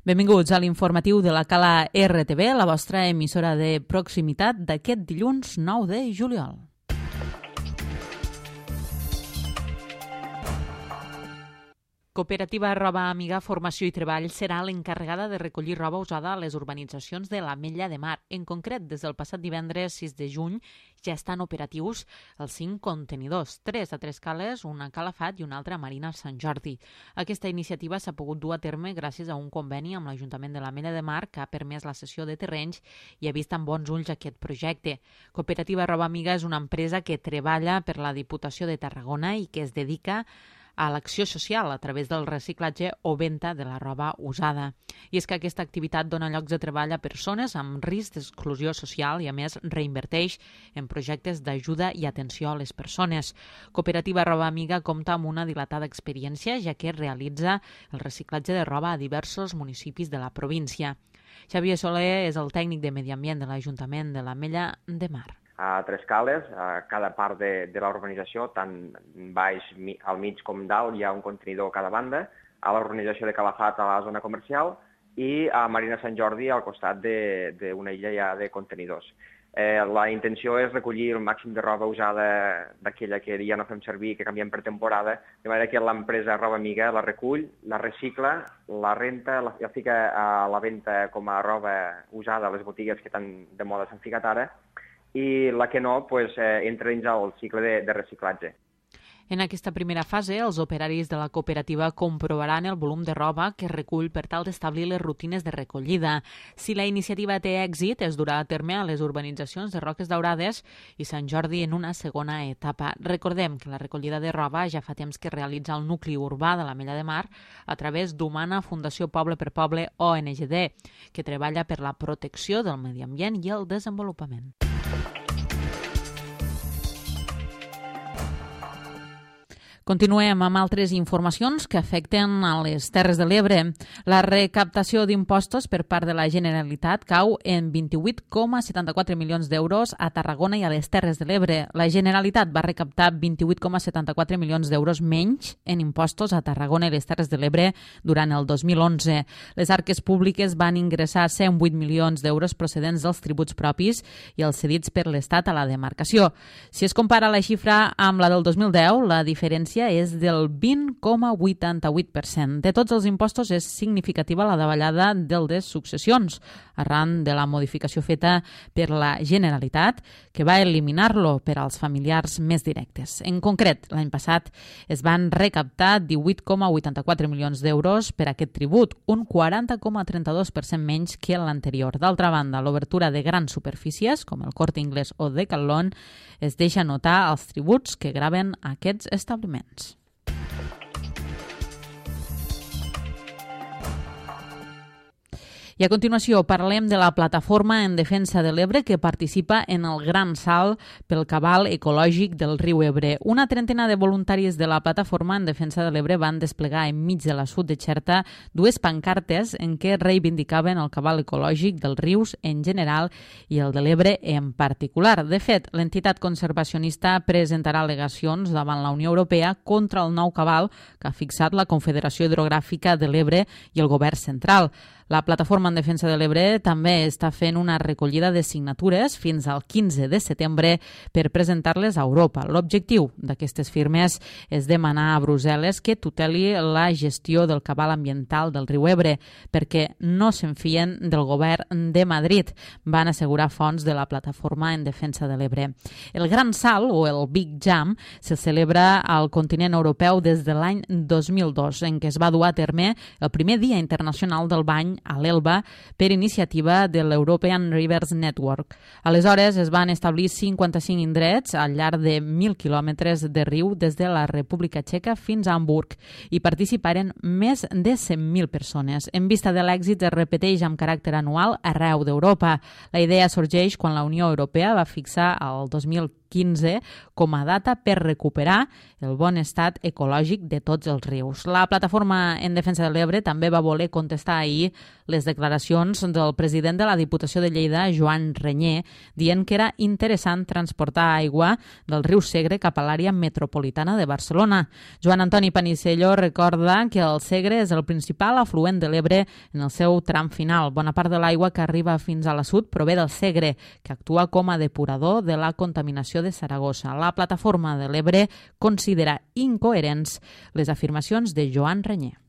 Benvinguts a l'informatiu de la Cala RTV, la vostra emissora de proximitat d'aquest dilluns 9 de juliol. Cooperativa Roba Amiga Formació i Treball serà l'encarregada de recollir roba usada a les urbanitzacions de l'Ametlla de Mar. En concret, des del passat divendres 6 de juny ja estan operatius els 5 contenidors, 3 a Tres Cales, una a Calafat i una altra a Marina Sant Jordi. Aquesta iniciativa s'ha pogut dur a terme gràcies a un conveni amb l'Ajuntament de l'Ametlla de Mar que ha permès la cessió de terrenys i ha vist amb bons ulls aquest projecte. Cooperativa Roba Amiga és una empresa que treballa per la Diputació de Tarragona i que es dedica a l'acció social a través del reciclatge o venda de la roba usada. I és que aquesta activitat dona llocs de treball a persones amb risc d'exclusió social i, a més, reinverteix en projectes d'ajuda i atenció a les persones. Cooperativa Roba Amiga compta amb una dilatada experiència, ja que realitza el reciclatge de roba a diversos municipis de la província. Xavier Soler és el tècnic de Medi Ambient de l'Ajuntament de l'Ametlla de Mar. A Tres Cales, a cada part de la urbanització, tant baix, al mig com dalt, hi ha un contenidor a cada banda, a l'urbanització de Calafat a la zona comercial i a Marina Sant Jordi al costat d'una illa ja de contenidors. La intenció és recollir el màxim de roba usada d'aquella que ja no fem servir, que canviem per temporada, de manera que l'empresa Roba Amiga la recull, la recicla, la renta, la fica a la venda com a roba usada a les botigues que tan de moda s'han ficat ara, i la que no entra dins el cicle de reciclatge. En aquesta primera fase, els operaris de la cooperativa comprovaran el volum de roba que recull per tal d'establir les rutines de recollida. Si la iniciativa té èxit, es durà a terme a les urbanitzacions de Roques Daurades i Sant Jordi en una segona etapa. Recordem que la recollida de roba ja fa temps que realitza el nucli urbà de l'Ametlla de Mar a través d'Humana Fundació Poble per Poble ONGD, que treballa per la protecció del medi ambient i el desenvolupament. Continuem amb altres informacions que afecten a les Terres de l'Ebre. La recaptació d'impostos per part de la Generalitat cau en 28,74 milions d'euros a Tarragona i a les Terres de l'Ebre. La Generalitat va recaptar 28,74 milions d'euros menys en impostos a Tarragona i les Terres de l'Ebre durant el 2011. Les arques públiques van ingressar 108 milions d'euros procedents dels tributs propis i els cedits per l'Estat a la demarcació. Si es compara la xifra amb la del 2010, la diferència és del 20,88%. De tots els impostos és significativa la davallada del de successions, arran de la modificació feta per la Generalitat, que va eliminar-lo per als familiars més directes. En concret, l'any passat es van recaptar 18,84 milions d'euros per aquest tribut, un 40,32% menys que l'anterior. D'altra banda, l'obertura de grans superfícies, com el Corte Inglés o Decathlon, es deixa notar els tributs que graven aquests establiments. I a continuació parlem de la plataforma en defensa de l'Ebre que participa en el Gran Salt pel cabal ecològic del riu Ebre. Una trentena de voluntaris de la plataforma en defensa de l'Ebre van desplegar enmig de l'assut de Xerta dues pancartes en què reivindicaven el cabal ecològic dels rius en general i el de l'Ebre en particular. De fet, l'entitat conservacionista presentarà al·legacions davant la Unió Europea contra el nou cabal que ha fixat la Confederació Hidrogràfica de l'Ebre i el Govern Central. La plataforma en defensa de l'Ebre també està fent una recollida de signatures fins al 15 de setembre per presentar-les a Europa. L'objectiu d'aquestes firmes és demanar a Brussel·les que tuteli la gestió del cabal ambiental del riu Ebre perquè no s'enfien del govern de Madrid, van assegurar fonts de la plataforma en defensa de l'Ebre. El Gran Salt, o el Big Jump, se celebra al continent europeu des de l'any 2002, en què es va dur a terme el primer Dia Internacional del Bany a l'Elba per iniciativa de l'European Rivers Network. Aleshores es van establir 55 indrets al llarg de 1.000 quilòmetres de riu des de la República Txeca fins a Hamburg i participaren més de 100.000 persones. En vista de l'èxit es repeteix amb caràcter anual arreu d'Europa. La idea sorgeix quan la Unió Europea va fixar el 2015 2015 com a data per recuperar el bon estat ecològic de tots els rius. La Plataforma en Defensa de l'Ebre també va voler contestar ahir les declaracions del president de la Diputació de Lleida, Joan Renyer, dient que era interessant transportar aigua del riu Segre cap a l'àrea metropolitana de Barcelona. Joan Antoni Panisello recorda que el Segre és el principal afluent de l'Ebre en el seu tram final. Bona part de l'aigua que arriba fins a la sud prové del Segre, que actua com a depurador de la contaminació de Saragossa. La Plataforma de l'Ebre considera incoherents les afirmacions de Joan Renyer.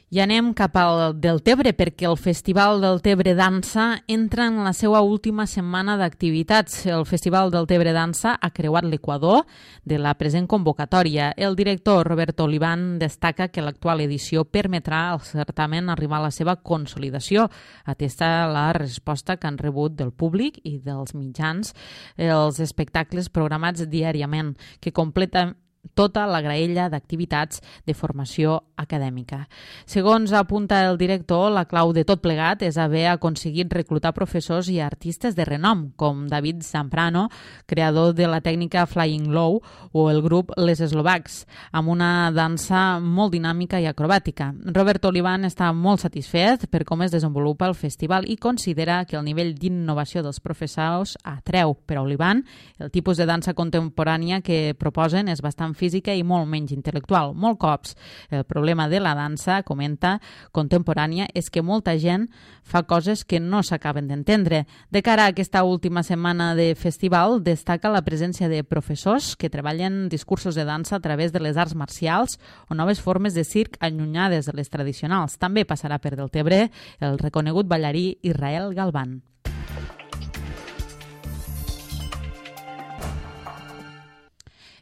I anem cap al Deltebre, perquè el Festival Deltebre Dansa entra en la seva última setmana d'activitats. El Festival Deltebre Dansa ha creuat l'equador de la present convocatòria. El director Roberto Olivan destaca que l'actual edició permetrà al certamen arribar a la seva consolidació, atesta la resposta que han rebut del públic i dels mitjans els espectacles programats diàriament, que completen tota la graella d'activitats de formació acadèmica. Segons apunta el director, la clau de tot plegat és haver aconseguit reclutar professors i artistes de renom, com David Zamprano, creador de la tècnica Flying Low, o el grup Les Eslovacs, amb una dansa molt dinàmica i acrobàtica. Robert Olivan està molt satisfet per com es desenvolupa el festival i considera que el nivell d'innovació dels professors atreu. Per a Olivan, el tipus de dansa contemporània que proposen és bastant física i molt menys intel·lectual. Molt cops el problema de la dansa, comenta, contemporània, és que molta gent fa coses que no s'acaben d'entendre. De cara a aquesta última setmana de festival, destaca la presència de professors que treballen discursos de dansa a través de les arts marcials o noves formes de circ allunyades de les tradicionals. També passarà per Deltebre el reconegut ballarí Israel Galván.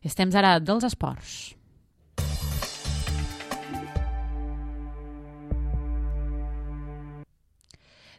Estem ara dels esports.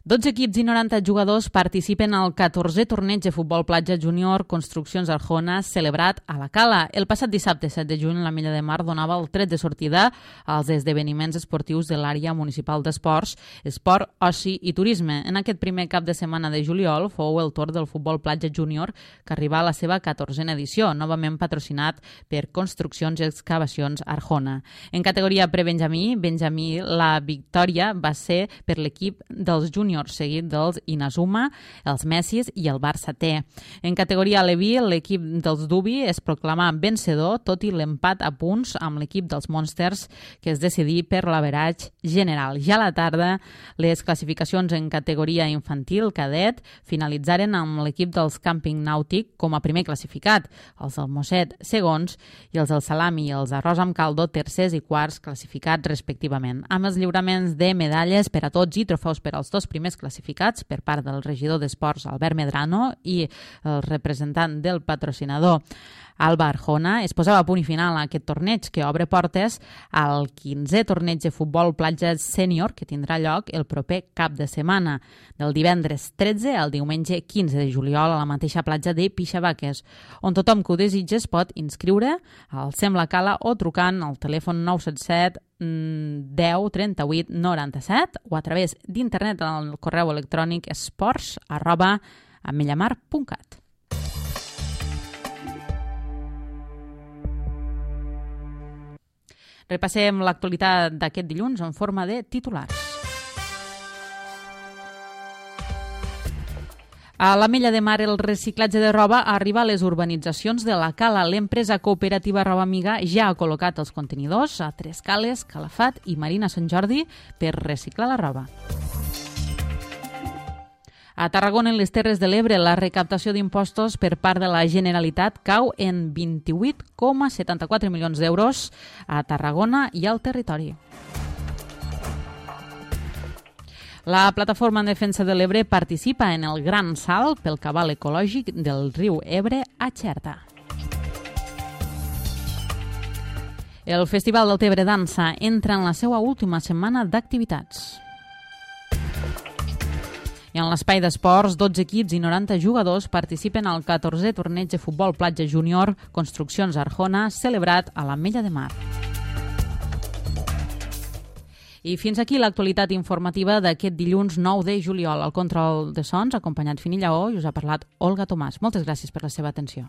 12 equips i 90 jugadors participen al 14è torneig de futbol platja júnior Construccions Arjona celebrat a la Cala. El passat dissabte 7 de juny la Mella de Mar donava el tret de sortida als esdeveniments esportius de l'àrea municipal d'esports, esport, oci i turisme. En aquest primer cap de setmana de juliol fou el torn del futbol platja júnior que arriba a la seva 14a edició, novament patrocinat per Construccions i Excavacions Arjona. En categoria prebenjamí, la victòria va ser per l'equip dels júniors, seguit dels Inazuma, els Messis i el Barça T. En categoria Aleví, l'equip dels Dubi es proclamà vencedor, tot i l'empat a punts amb l'equip dels Monsters, que es decidí per l'averatge general. Ja a la tarda, les classificacions en categoria infantil cadet finalitzaren amb l'equip dels Càmping Nàutic com a primer classificat, els del Mosset segons i els del Salami i els Arròs amb Caldo tercers i quarts classificats respectivament, amb els lliuraments de medalles per a tots i trofeus per als dos primers classificats per part del regidor d'Esports Albert Medrano i el representant del patrocinador Alba Arjona. Es posava a punt i final a aquest torneig que obre portes al 15è torneig de futbol platja sènior que tindrà lloc el proper cap de setmana, del divendres 13 al diumenge 15 de juliol a la mateixa platja de Pixavaques, on tothom que ho desitja es pot inscriure al Sembla Cala o trucant al telèfon 977 10 38 97 o a través d'internet al correu electrònic esports@amellamar.cat. Repassem l'actualitat d'aquest dilluns en forma de titulars. A la Mella de Mar, el reciclatge de roba arriba a les urbanitzacions de la Cala. L'empresa cooperativa Roba Amiga ja ha col·locat els contenidors a Tres Cales, Calafat i Marina Sant Jordi per reciclar la roba. A Tarragona, en les Terres de l'Ebre, la recaptació d'impostos per part de la Generalitat cau en 28,74 milions d'euros a Tarragona i al territori. La Plataforma en Defensa de l'Ebre participa en el gran salt pel cabal ecològic del riu Ebre a Xerta. El Festival Deltebre Dansa entra en la seva última setmana d'activitats. I en l'espai d'esports, 12 equips i 90 jugadors participen al 14è torneig de futbol platja júnior Construccions Arjona celebrat a la Mella de Mar. I fins aquí l'actualitat informativa d'aquest dilluns 9 de juliol. Al control de sons, acompanyat Fini Lleó, i us ha parlat Olga Tomàs. Moltes gràcies per la seva atenció.